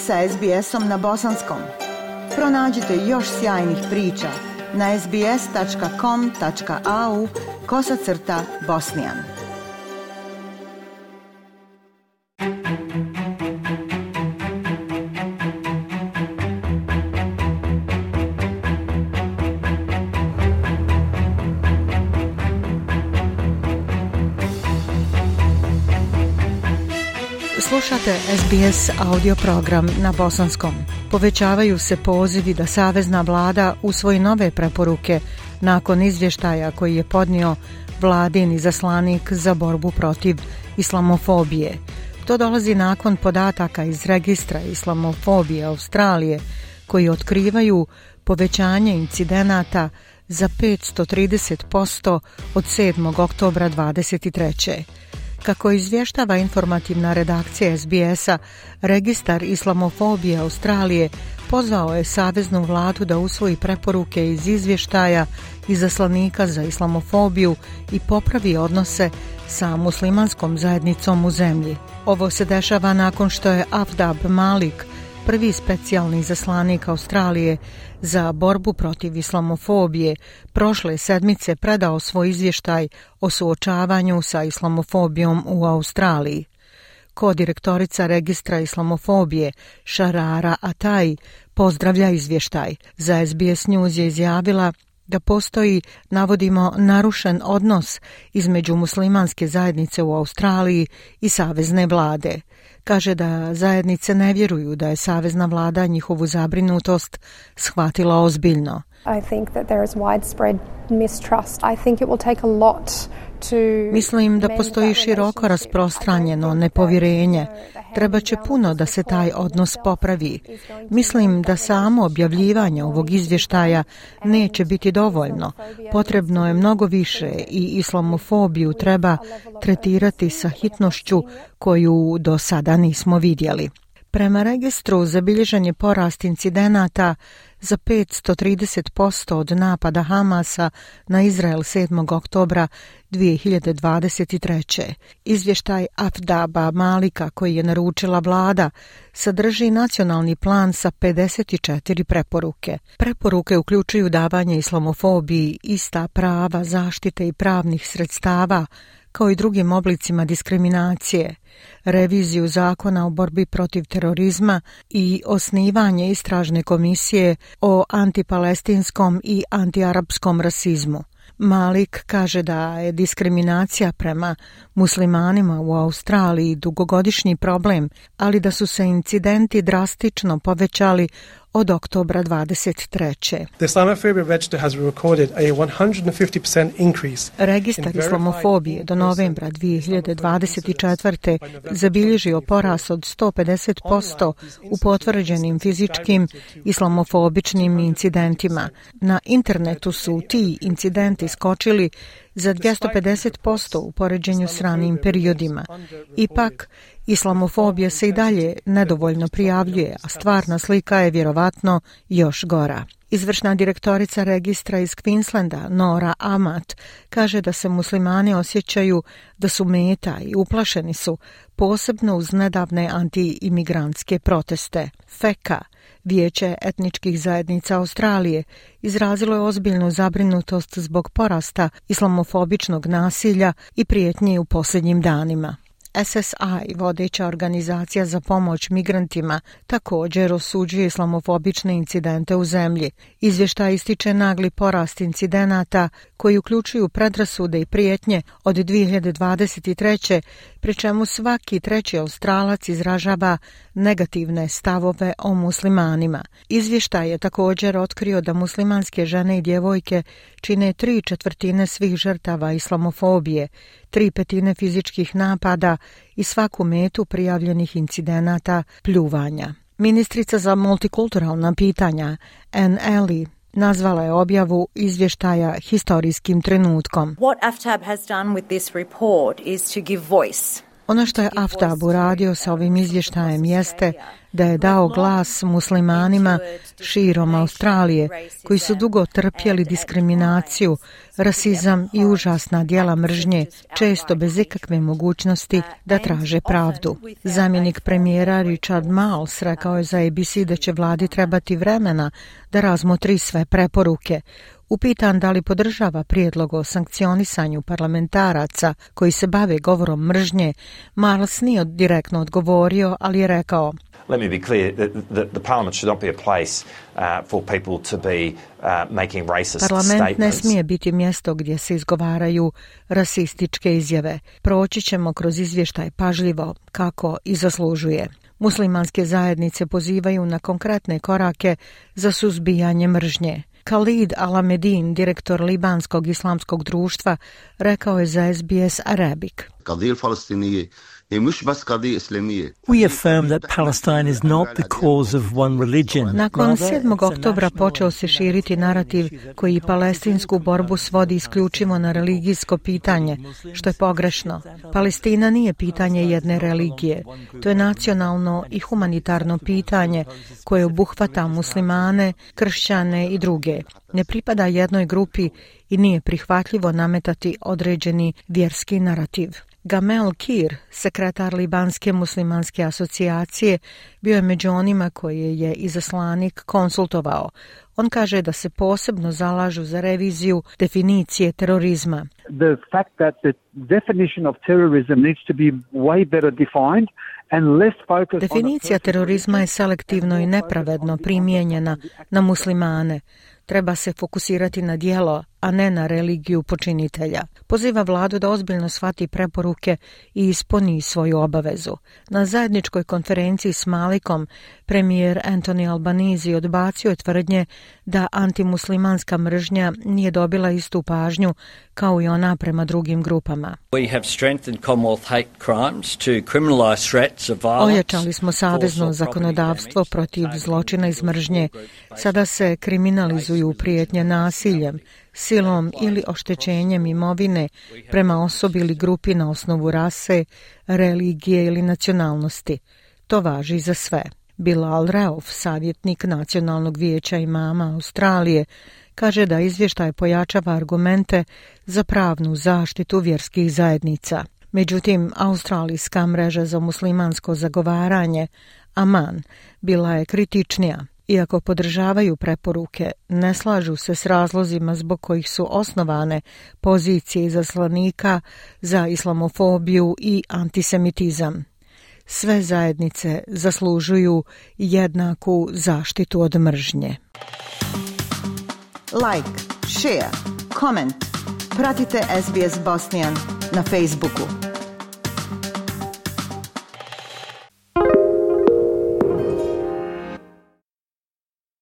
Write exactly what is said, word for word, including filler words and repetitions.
sa es be esom na bosanskom. Pronađite još sjajnih priča na sbs tačka com tačka a u kosacrta bosnijan. Slušate es be es audio program na bosanskom. Povećavaju se pozivi da Savezna vlada usvoji nove preporuke nakon izvještaja koji je podnio vladin izaslanik za borbu protiv islamofobije. To dolazi nakon podataka iz registra islamofobije Australije koji otkrivaju povećanje incidenata za petsto trideset posto od sedmog oktobra dvadeset treće. Kako izvještava informativna redakcija es be es-a, registar islamofobije Australije pozvao je Saveznu vladu da usvoji preporuke iz izvještaja izaslanika za islamofobiju i popravi odnose sa muslimanskom zajednicom u zemlji. Ovo se dešava nakon što je Afdab Malik, prvi specijalni izaslanik Australije za borbu protiv islamofobije, prošle sedmice predao svoj izvještaj o suočavanju sa islamofobijom u Australiji. Kodirektorica registra islamofobije Sharara Atai pozdravlja izvještaj. Za es be es News je izjavila da postoji, navodimo, narušen odnos između muslimanske zajednice u Australiji i savezne vlade. Kaže da zajednice ne vjeruju da je savezna vlada njihovu zabrinutost shvatila ozbiljno. I think that there is widespread mistrust. I think it will take a lot to Mislim da postoji široko rasprostranjeno nepovjerenje. Treba će puno da se taj odnos popravi. Mislim da samo objavljivanje ovog izvještaja neće biti dovoljno. Potrebno je mnogo više i islamofobiju treba tretirati sa hitnošću koju do sada nismo vidjeli. Prema registru zabilježen je porast incidenata za petsto trideset posto od napada Hamasa na Izrael sedmog oktobra dvije hiljade dvadeset treće. Izvještaj Afdaba Malika koji je naručila vlada sadrži nacionalni plan sa pedeset četiri preporuke. Preporuke uključuju davanje islamofobiji ista prava, zaštite i pravnih sredstava kao i drugim oblicima diskriminacije, reviziju zakona o borbi protiv terorizma i osnivanje istražne komisije o antipalestinskom i antiarapskom rasizmu. Malik kaže da je diskriminacija prema muslimanima u Australiji dugogodišnji problem, ali da su se incidenti drastično povećali od oktobra dvadeset treće. The Islamophobia Register has recorded a one hundred fifty percent increase. Registar islamofobije do novembra dvije hiljade dvadeset četvrte zabilježio porast od sto pedeset posto u potvrđenim fizičkim islamofobičnim incidentima. Na internetu su ti incidenti skočili za dvjesto pedeset posto u poređenju s ranijim periodima. Ipak, islamofobija se i dalje nedovoljno prijavljuje, a stvarna slika je vjerovatno još gora. Izvršna direktorica registra iz Queenslanda, Nora Amat, kaže da se muslimani osjećaju da su meta i uplašeni su, posebno uz nedavne anti-imigrantske proteste. Feka, Vijeće etničkih zajednica Australije, izrazilo je ozbiljnu zabrinutost zbog porasta islamofobičnog nasilja i prijetnji u posljednjim danima. es es i, vodeća organizacija za pomoć migrantima, također osuđuje islamofobične incidente u zemlji. Izvještaj ističe nagli porast incidenata koji uključuju predrasude i prijetnje od dvije hiljade dvadeset treće, pri čemu svaki treći Australac izražava negativne stavove o muslimanima. Izvještaj je također otkrio da muslimanske žene i djevojke čine tri četvrtine svih žrtava islamofobije, tri petine fizičkih napada i svaku metu prijavljenih incidenata pljuvanja. Ministrica za multikulturalna pitanja Anne Alley nazvala je objavu izvještaja historijskim trenutkom. What A F T A B has done with this report is to give voice Ono što je Aftab uradio sa ovim izvještajem jeste da je dao glas muslimanima širom Australije koji su dugo trpjeli diskriminaciju, rasizam i užasna djela mržnje, često bez ikakve mogućnosti da traže pravdu. Zamjenik premijera Richard Marles rekao je za A B C da će vladi trebati vremena da razmotri sve preporuke. Upitan da li podržava prijedlog o sankcionisanju parlamentaraca koji se bave govorom mržnje, Marles nije direktno odgovorio, ali je rekao: Let me be clear that the, the parliament should not be a place uh, for people to be uh, making racist Parlament statements. ne smije biti mjesto gdje se izgovaraju rasističke izjave. Proći ćemo kroz izvještaj pažljivo, kako i zaslužuje. Muslimanske zajednice pozivaju na konkretne korake za suzbijanje mržnje. Khalid Al-Amedin, direktor Libanskog islamskog društva, rekao je za S B S Arabic: We affirm that Palestine is not the cause of one religion. Nakon sedmog oktobra počeo se širiti narativ koji palestinsku borbu svodi isključivo na religijsko pitanje, što je pogrešno. Palestina nije pitanje jedne religije. To je nacionalno i humanitarno pitanje koje obuhvata muslimane, kršćane i druge. Ne pripada jednoj grupi i nije prihvatljivo nametati određeni vjerski narativ. Gamel Kir, sekretar Libanske muslimanske asocijacije, bio je među onima koje je izaslanik konsultovao. On kaže da se posebno zalažu za reviziju definicije terorizma. The fact that the definition of terrorism needs to be way better defined and less focused. Definicija terorizma je selektivno i nepravedno primijenjena na muslimane. Treba se fokusirati na djelo, a ne na religiju počinitelja. Poziva vladu da ozbiljno shvati preporuke i ispuni svoju obavezu. Na zajedničkoj konferenciji s Malikom premijer Anthony Albanese odbacio je tvrdnje da antimuslimanska mržnja nije dobila istu pažnju kao i ona prema drugim grupama. Ojačali smo savezno zakonodavstvo protiv zločina iz mržnje. Sada se kriminalizuju prijetnje nasiljem, silom ili oštećenjem imovine prema osobi ili grupi na osnovu rase, religije ili nacionalnosti. To važi za sve. Bilal Rauf, savjetnik Nacionalnog vijeća imama Australije, kaže da izvještaj pojačava argumente za pravnu zaštitu vjerskih zajednica. Međutim, Australijska mreža za muslimansko zagovaranje, Aman, bila je kritičnija. Iako podržavaju preporuke, ne slažu se s razlozima zbog kojih su osnovane pozicije izaslanika za islamofobiju i antisemitizam. Sve zajednice zaslužuju jednaku zaštitu od mržnje. Like, share, comment. Pratite S B S Bosnian na Facebooku.